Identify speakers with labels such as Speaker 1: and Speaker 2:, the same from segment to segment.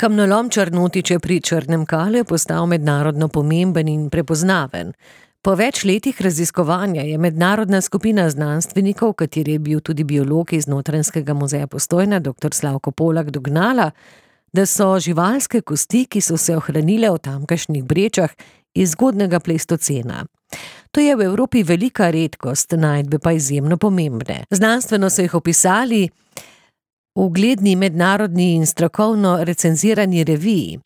Speaker 1: Kamnolom Črnotiče pri Črnem Kalu je postal mednarodno pomemben in prepoznaven. Po več letih raziskovanja je mednarodna skupina znanstvenikov, kateri je bil tudi biolog iz Notranjskega muzeja Postojna, dr. Slavko Polak, dognala, da so živalske kosti, ki so se ohranile v tamkajšnjih brečah, iz zgodnjega pleistocena. To je v Evropi velika redkost, najdbe pa izjemno pomembne. Znanstveno so jih opisali v ugledni mednarodni in strokovno recenzirani reviji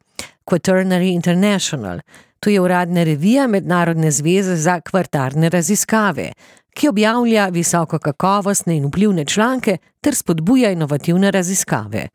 Speaker 1: Quaternary International. To je uradna revija Mednarodne zveze za kvartarne raziskave, ki objavlja visoko kakovostne in vplivne članke ter spodbuja inovativne raziskave.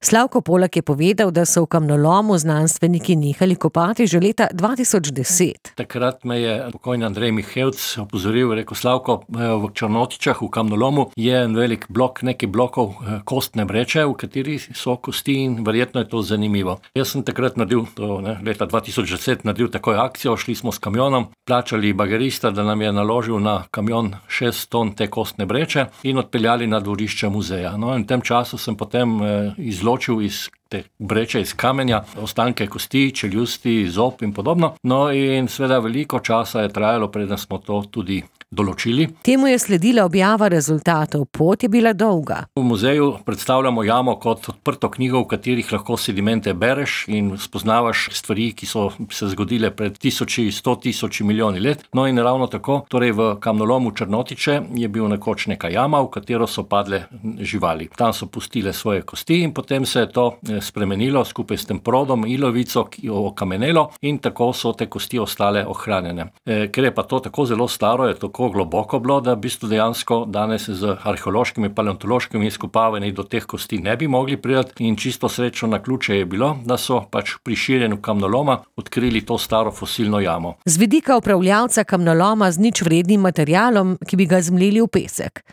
Speaker 1: Slavko Polak je povedal, da so v kamnolomu znanstveniki nehali kopati že leta 2010.
Speaker 2: Takrat me je pokojni Andrej Mihevc opozoril, rekel: Slavko, v Črnotičah, v kamnolomu je en velik blok, nekaj blokov kostne breče, v kateri so kosti in verjetno je to zanimivo. Jaz sem takrat leta 2010 naredil takoj akcijo, šli smo s kamionom, plačali bagerista, da nam je naložil na kamion 6 ton te kostne breče in odpeljali na dvorišče muzeja. No, in v tem času sem potem izločil iz te breče iz kamenja ostanke kosti, čeljusti, zob in podobno. No in seveda veliko časa je trajalo, preden smo to tudi določili.
Speaker 1: Temu je sledila objava rezultatov, pot je bila dolga.
Speaker 2: V muzeju predstavljamo jamo kot odprto knjigo, v katerih lahko sedimente bereš in spoznavaš stvari, ki so se zgodile pred 100 milijoni let. No in ravno tako, torej v kamnolomu Črnotiče je bil nekoč neka jama, v katero so padle živali. Tam so pustile svoje kosti in potem se je to spremenilo skupaj s tem prodom, ilovico, ki jo okamenelo, in tako so te kosti ostale ohranjene. Ker je pa to tako zelo staro, je tako globoko bilo, da v bistvu dejansko danes z arheološkimi, paleontološkimi izkopavanji do teh kosti ne bi mogli priti, in čisto srečno naključje je bilo, da so pač pri širjenju kamnoloma odkrili to staro fosilno jamo.
Speaker 1: Z vidika upravljavca kamnoloma z ničvrednim materialom, ki bi ga zmleli v pesek.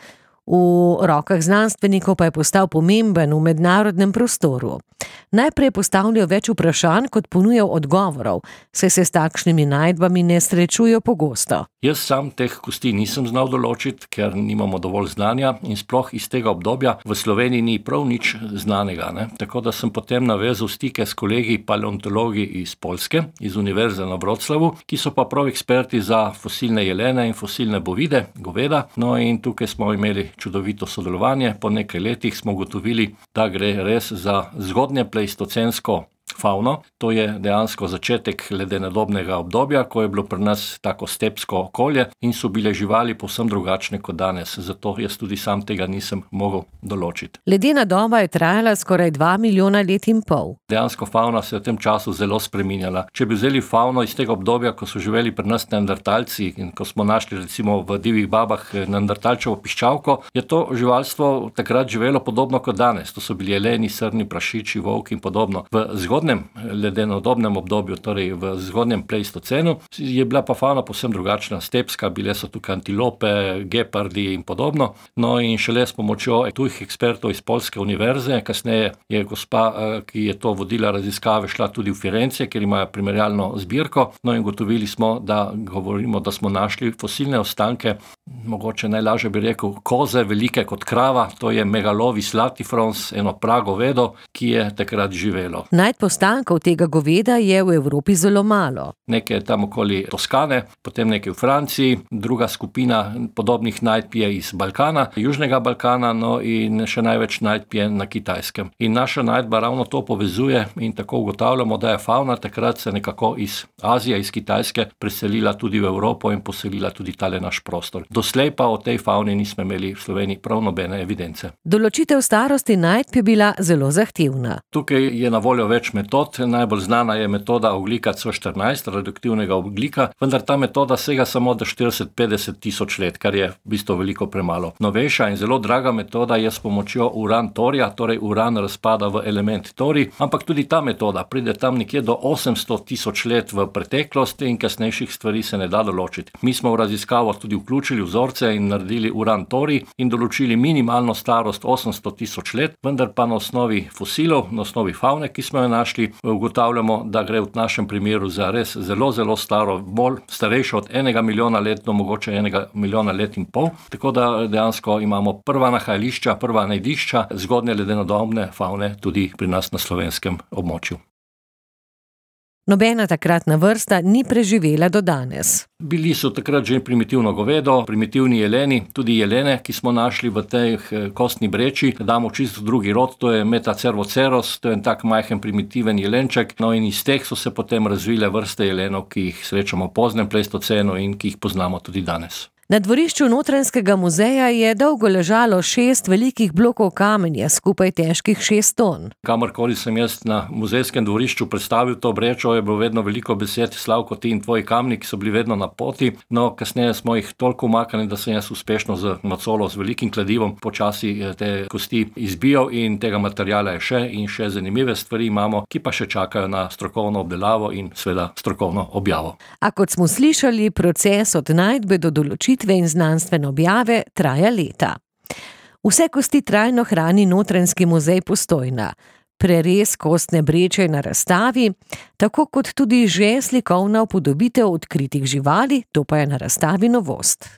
Speaker 1: V rokah znanstvenikov pa je postal pomemben v mednarodnem prostoru. Najprej postavljajo več vprašanj, kot ponujajo odgovorov, saj se s takšnimi najdbami ne srečujejo pogosto.
Speaker 2: Jaz sam teh kosti nisem znal določiti, ker nimamo dovolj znanja in sploh iz tega obdobja v Sloveniji ni prav nič znanega. Tako da sem potem navezal stike s kolegi paleontologi iz Poljske, iz Univerze na Wroclawu, ki so pa prav eksperti za fosilne jelene in fosilne bovide, goveda. No in tukaj smo imeli čudovito sodelovanje. Po nekaj letih smo ugotovili, da gre res za zgodnje pleistocensko favno. To je dejansko začetek ledenodobnega obdobja, ko je bilo pri nas tako stepsko okolje in so bile živali povsem drugačne kot danes. Zato jaz tudi sam tega nisem mogel določiti.
Speaker 1: Ledena doba je trajala skoraj 2 milijona let in pol.
Speaker 2: Dejansko favna se je v tem času zelo spreminjala. Če bi vzeli favno iz tega obdobja, ko so živeli pri nas neandertalci in ko smo našli recimo v divjih babah neandertalčevo piščalko, je to živalstvo takrat živelo podobno kot danes. To so bili jeleni, srni, prašiči, volki in podobno. V zgodnem ledenodobnem obdobju, torej v zgodnjem pleistocenu, je bila pa favna povsem drugačna, stepska, bile so tukaj antilope, gepardi in podobno. No in šele s pomočjo tujih ekspertov iz Poljske univerze, kasneje je gospa, ki je to vodila raziskave, šla tudi v Firence, kjer imajo primerjalno zbirko. No in gotovili smo, da smo našli fosilne ostanke, mogoče najlažje bi rekel, koze velike kot krava, to je Megalovis latifrons, eno pragovedo, ki je takrat živelo.
Speaker 1: Ostankov tega goveda je v Evropi zelo malo.
Speaker 2: Nekaj tam okoli Toskane, potem nekaj v Franciji, druga skupina podobnih najdb je iz Balkana, Južnega Balkana, no in še največ najdb je na Kitajskem. In naša najdba ravno to povezuje in tako ugotavljamo, da je favna takrat se nekako iz Azije, iz Kitajske preselila tudi v Evropo in poselila tudi tale naš prostor. Doslej pa o tej favni nismo imeli v Sloveniji prav nobene evidence.
Speaker 1: Določitev starosti najdb je bila zelo zahtevna.
Speaker 2: Tukaj je na voljo več metod. Najbolj znana je metoda ogljika C14, radioaktivnega ogljika, vendar ta metoda sega samo do 40-50 tisoč let, kar je v bistvu veliko premalo. Novejša in zelo draga metoda je s pomočjo uran-torija, torej uran razpada v element torij, ampak tudi ta metoda pride tam nekje do 800 tisoč let v preteklosti in kasnejših stvari se ne da določiti. Mi smo v raziskavo tudi vključili vzorce in naredili uran-torij in določili minimalno starost 800 tisoč let, vendar pa na osnovi fosilov, na osnovi favne, ki smo jo našli, našli, ugotavljamo, da gre v našem primeru za res zelo, zelo staro, bolj starejšo od 1 milijona let do mogoče 1 milijona let in pol. Tako da dejansko imamo prva nahajališča, prva najdišča zgodnje ledenodobne favne tudi pri nas na slovenskem območju.
Speaker 1: Nobena takratna vrsta ni preživela do danes.
Speaker 2: Bili so takrat že primitivno govedo, primitivni jeleni, tudi jelene, ki smo našli v tej kostni breči, damo čisto drugi rod, to je Metacervoceros, to je en tak majhen primitiven jelenček, no in iz teh so se potem razvile vrste jelenov, ki jih srečamo v poznem pleistocenu in ki jih poznamo tudi danes.
Speaker 1: Na dvorišču Notranjskega muzeja je dolgo ležalo 6 velikih blokov kamenja, skupaj težkih 6 ton.
Speaker 2: Kamorkoli sem jaz na muzejskem dvorišču predstavil to brečo, je bilo vedno veliko besed, Slavko, ti in tvoji kamni, ki so bili vedno na poti. No, kasneje smo jih toliko umaknili, da sem jaz uspešno z macolo, z velikim kladivom počasi te kosti izbijal in tega materiala je še in še zanimive stvari imamo, ki pa še čakajo na strokovno obdelavo in seveda strokovno objavo.
Speaker 1: A kot smo slišali, proces od najdbe do določitve in znanstvene objave traja leta. Vse kosti trajno hrani Notranjski muzej Postojna. Prerez kostne breče je na razstavi, tako kot tudi že slikovna upodobitev odkritih živali, to pa je na razstavi novost.